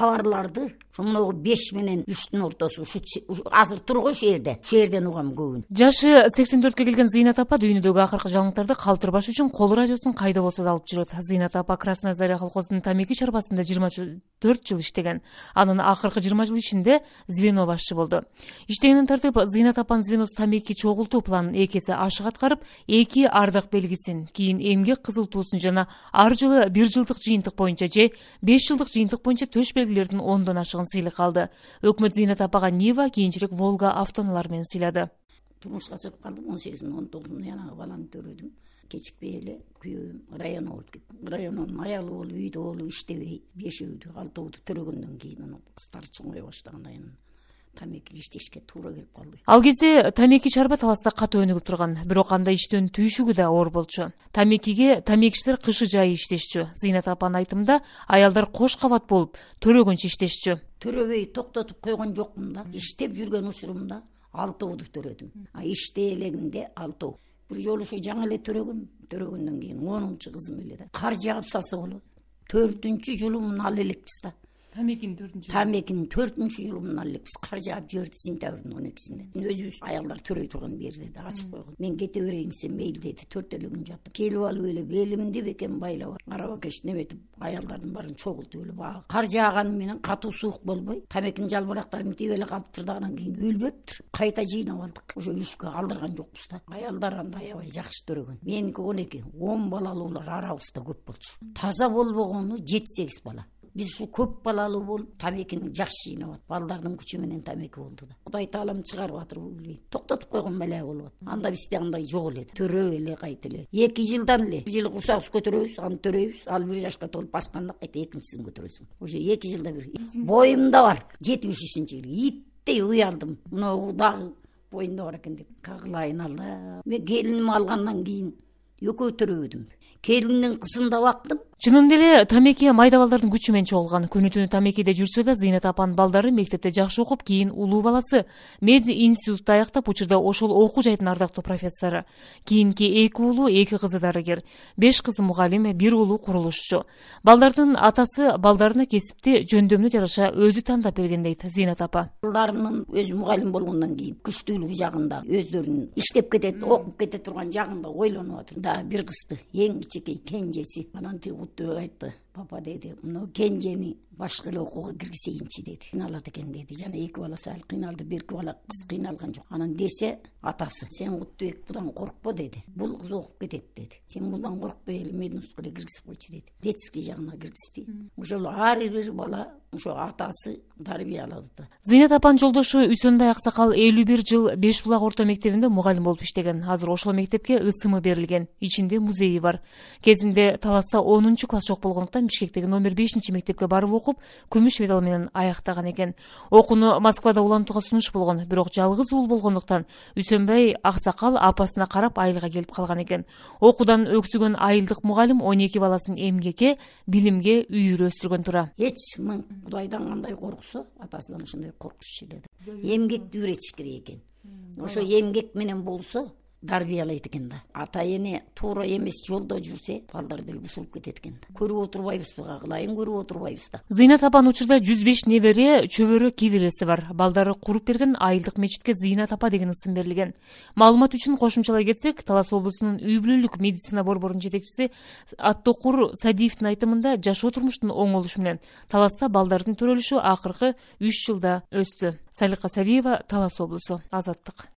кабарларды могу 5 менен 3-түн ортосу азыр тургу шээрден угам көбүн. Жашы 84-кө келген Зыйнат апа дүйнөдөгү акыркы жаңылыктарды калтырбаш үчүн кол радиосун кайда болсо да алып жүрөт. Зыйнат апа Красная Заря колхозунун тамеки чарбасында 24 жыл иштеген. Анын акыркы 20 жыл ичинде звено башчы болду. Иштегенин тартып, Зыйнат апанын звеносу тамеки чогултуу планын 2 эсе ашык аткарып, 2 ардак белгисин, кийин эмгек кызыл туусун жана ар жылы 1 жылдык жыйынтык боюнча же 5 жылдык жыйынтык боюнча төш белгилердин 10дон ашыгын сыйлык алды. Өкмөт Зыйнат апага Нива, кийинчерээк Волга автоунаалары менен сыйлады. Турмушка чыгып калдым, 18-19 янагы баланы төрөдүм. Кечикпей эле күйөөм район болуп кеттим. Райондун аялы болуп, үйдө болуп иштебей, 5-өөдү, 6-өөдү төрөгөндөн кийин анан кыздары чоңое баштаганда тамеки иштешке туура келип калды. Ал кезде тамеки чарба таласта катуу өнүгүп турган, бирок анда иштөөнү түйшүгү да оор болчу. Тамекиге тамекичилер кышы жайы иштешчү. Зыйнат апанын айтымында аялдар кош кабат болуп, төрөгөнчө иштешчү. Төрөбөй токтотуп койгон жокмун да. Иштеп жүргөн учурумда 6өөдү төрөдүм. Иштей элегинде 6өө. Бир жолу ошо жаңы эле төрөгөндөн кийин 10-кызым эле да. Кар жаап салса болот. 4-жылымын ал элекпиз да. Тамекинин 4-жылымын ал элекпиз. Кар жаап жиберди сентябрдын 12-синде. Өзүбүз аялдар төрөй турган жерде да ачып койгон. Мен кете берейин десем мейли деди. 4 күн жаттым. Келип алып эле белимди бекен байлап, арабакеш неметип, аялдардын баарын чогултуп эле баа. Кар жааганы менен катуу суук болбой, тамекинин жалбырактары митип эле калыптыр да, анан кийин өлбөптүр. Кайта жыйнап алдык. Ошо үшкө калдырган жокпуз да. Аялдар анда аябай жакшы төрөгөн. Меники 12, 10 балалуулар арабызда көп болчу. Таза болбогону 7-8 бала. Биз ушу көп балалуу болуп, тамекини жакшы жыйнап атып, балдардын күчү менен тамеки болду да. Кудай таалам чыгарып атыр билбейм. Токтотуп койгон беле болуп атат. Анда бизде андай жок эле. Төрөп эле кайта эле. 2 жылдан эле. 1 жыл курсагыбыз көтөрөбүз, аны төрөйбүз. Ал 1 жашка толуп басканда кайта экинчисин көтөрөсүң. Ошо 2 жылда бир. Боюмда бар 73-жылы. Иттей уялдым. Мына дагы боюнда бар экен деп. Кагылайын Алла. Мен келиними алгандан кийин экөө төрөбөдүм. Келиндин кызында бактым. Чынында эле тамеки майда балдардын күчү менен чогулган. Күнү-түнү тамекиде жүрсө да, Зыйнат апанын балдары мектепте жакшы окуп, кийин улуу баласы меди институтта аяктап, учурда ошол окуу жайдын ардактуу профессору. Кийинки 2 уулу, 2 кызы дарыгер, 5 кызы мугалим, 1 уулу курулушчу. Балдардын атасы балдарына кесипти жөндөмүнө жараша өзү тандап берген дейт Зыйнат апа. Балдарынын өзү мугалим болгондон кийин күчтүүлүгү жагында өздөрүнүн иштеп кетет, окуп кете турган жагында ойлонуп атыр. Да бир кызды, эң кичинекей кенжеси. Анан айтты, папа деди, мына кенжени башка эле окууга киргизейинчи деди. Кыйналат экен деди. Жана 2 баласы ал кыйналды, 1 бала кыз кыйналган жок. Анан десе атасы, сен Куттубек будан коркпо деди. Бул кыз окуп кетет деди. Сен будан коркпой эле мединститутка эле киргизип койчу деди. Детский жагына киргизди. Ошол ар бир бала ошо атасы тарбия алады да. Зыйнат апанын жолдошу Үсөнбай Аксакал 51 жыл Беш булак орто мектебинде мугалим болуп иштеген. Азыр ошол мектепке ысымы берилген. Ичинде музейи бар. Кезинде Таласта 10-класс жок болгондуктан Бишкектеги номер 5 мектепке барып окуп, күмүш медал менен аяктаган экен. Окууну Москвада улантууга сунуш болгон, бирок жалгыз уул болгондуктан Үсөнбай Аксакал апасына карап айылга келип калган экен. Окуудан өксүгөн айылдык мугалим 12 баласын эмгекке, билимге үйүрөстүргөн тура. Эч миң Кудайдан кандай корксо, атасынан ошондой коркчу эле. Эмгекти үйрөтүш керек экен. Ошо эмгек менен болсо дарбиялайт экен да. Ата эне туура эмес жолдо жүрсө, балдар деле бусулуп кетет экен. Көрүп отурбайбызбы, кагылайын көрүп отурбайбыз да. Зыйнат апанын учурда 105 небере, чөбөрө, кибиреси бар. Балдары куруп берген айылдык мечитке Зыйнат апа деген ысым берилген. Маалымат үчүн кошумчалай кетсек, Талас облусунун үй бүлөлүк медицина борборунун жетекчиси Аттокур Садиевдин айтымында жашоо турмуштун оңолушу менен Таласта балдардын төрөлүшү акыркы 3 жылда өстү. Салика Сариева, Талас облусу, Азаттык.